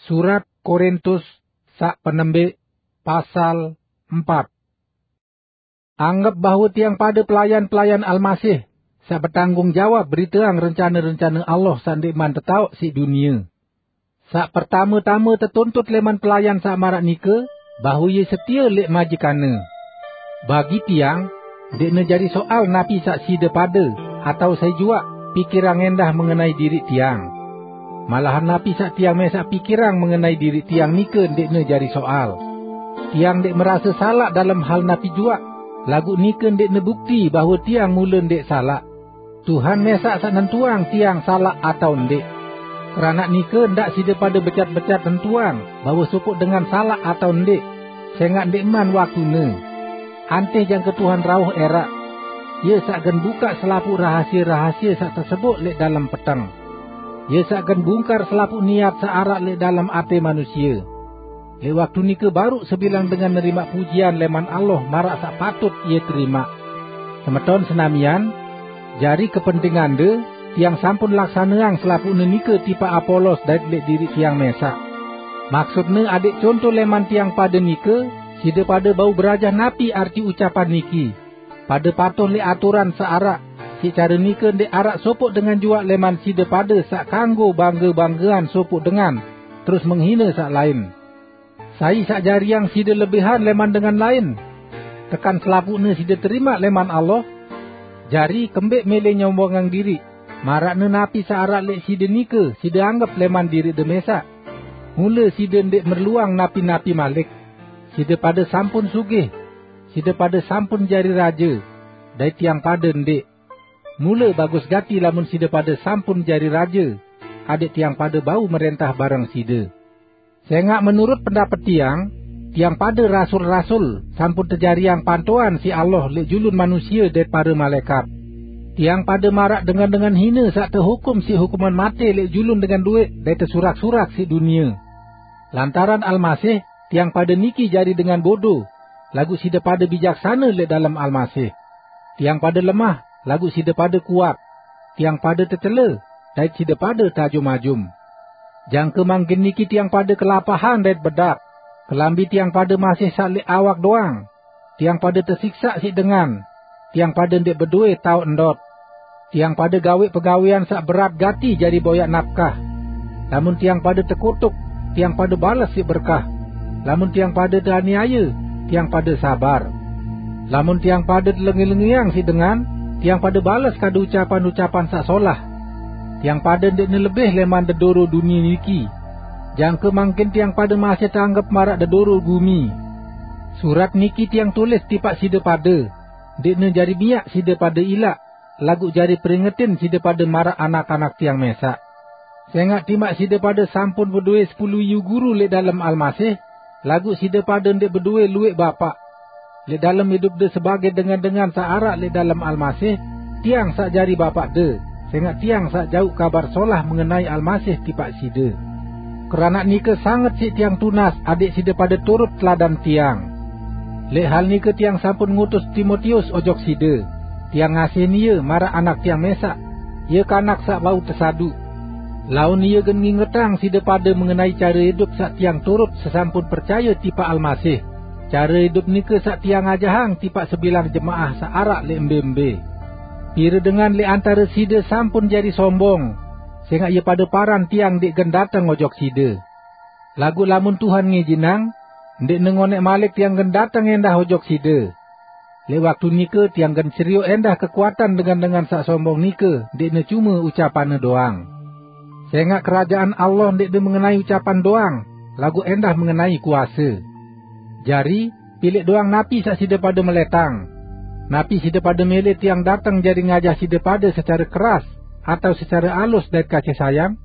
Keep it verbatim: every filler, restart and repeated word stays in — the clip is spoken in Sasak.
Surat Korintus saq penembik, pasal empat. Anggep bahwe tiang pade pelayan-pelayan Almasih, saq betanggung jawab beriteang rencane-rencane Allah saq ndeqman tetaoq siq dunie. Saq pertame-tame tetuntut leman pelayan saq maraq nike, bahwe ie setie leq majikanne. Bagi tiang, ndeqne jari soal napi saq side pade, atao sai juaq, pikirang endah mengenai diriq tiang. Malahan napi saq tiang mesaq pikirang mengenai diriq tiang nike ndeqne jari soal. Tiang ndeq merase salaq dalem hal napi juaq, laguq nike ndeqne bukti bahwe tiang mule ndeq salaq. Tuhan mesaq saq nentuang tiang salaq atao ndeq. Keranaq nike ndaq side pade becat-becat nentuang bahwe sopoq dengan salaq atao ndeq, sengaq ndeqman waktune. Antih jangke Tuhan rauh eraq. Ie saq gen bukaq selapuq rahasie-rahasie saq teseboq leq dalem peteng. Ie saq gen bungkar selapuq niat saq araq leq dalem ate manusie. Leq waktu nike baruq sebilang dengan nerimaq pujian leman Allah maraq saq patut ie terimaq. Semeton senamian, jari kepentingande, tiang sampun laksaneang selapuqne nike tipaq Apolos dait leq diriq tiang mesaq. Maksudne adeq conto leman tiang pade nike, side pade bau berajah napi arti ucapan niki, "Pade patuh leq aturan saq araq," siq care nike ndeq araq sopoq dengan juaq leman side pade saq kanggo bangge-banggean sopoq dengan, terus menghine saq lain. Sai saq jariang side lebihan leman dengan lain? Tekan selapuqne side terimaq leman Allah? Jari, kembeq mele nyombongang diriq, maraqne napi saq araq leq side nike side anggep leman diriqde mesaq? Mule side ndeq merluang napi-napi malik. Side pade sampun sugih. Side pade sampun jari raje, dait tiang pade ndeq. Mule bagus gati lamun side pade sampun jari raje, adeq tiang pade bau merentah bareng side. Sengaq menurut pendapet tiang, tiang pade rasul-rasul sampun tejariang pantoan siq Allah leq julun manusie dait pare malaekat. Tiang pade maraq dengan-dengan hine saq tehukum siq hukuman mate leq julun dengan lueq dait tesurak-surak siq dunie. Lantaran Almasih, tiang pade niki jari dengan bodo, laguq side pade bijaksane leq dalem Almasih. Tiang pade lemah, laguq side pade kuat. Tiang pade tecele, dait side pade tajum-ajum. Jangke mangkin niki tiang pade kelapahan dait bedak, kelambi tiang pade masih saq leq awak doang. Tiang pade tesiksaq siq dengan. Tiang pade ndeq bedowe taoq ndot. Tiang pade gaweq pegawean saq berat gati jari boyaq napkah. Lamun tiang pade tekutuk, tiang pade bales siq berkah. Lamun tiang pade teaniaye, tiang pade sabar. Lamun tiang pade telengi-lengiang siq dengan, tiang pade bales kadu ucapan-ucapan saq solah. Tiang pade ndeqne lebih leman dedoro dunie niki. Jangke mangkin tiang pade masih teanggep maraq dedoro gumi. Surat niki tiang tulis tipaq side pade, ndeqne jari miaq side pade ilaq, laguq jari peringetin side pade maraq anak-anak tiang mesaq. Sengaq timaq side pade sampun bedowe sepulu iyu guru leq dalem Almasih, laguq side pade ndeq bedowe lueq bapaq. Leq dalem idupde sebagei dengan-dengan saq araq leq dalem Almasih, tiang saq jari bapaqde, sengaq tiang saq jauq Kabar Solah mengenai Almasih tipaq side. Keranaq nike sanget siq tiang tunas adẽq side pade turut teladan tiang. Leq hal nike tiang sampun ngutus Timotius ojok side. Tiang ngasihin ie maraq anak tiang mesaq. Ie kanak saq bau tesaduq. Laun ie gen ngingetang side pade mengenai care idup saq tiang turut sesampun percaye tipaq Almasih. Care idup nike saq tiang ajahang tipaq sebilang jemaah saq araq leq mbe-mbe. Pire dengan leq antare side sampun jari sombong, sengaq ie pade paran tiang ndeq gen dateng ojok side. Laguq lamun Tuhan ngijinang, ndeqne ngoneq malik tiang gen dateng endah ojok side. Leq waktu nike tiang gen serioq endah kekuatan dengan-dengan saq sombong nike ndeqne cume ucapanne doang. Sengaq Kerajaan Allah ndeqne mengenai ucapan doang, laguq endah mengenai kuase. Jari, pileq doang napi saq side pade meletang. Napi side pade mele tiang dateng jari ngajah side pade secare keras, atao secare alus dait kasih sayang?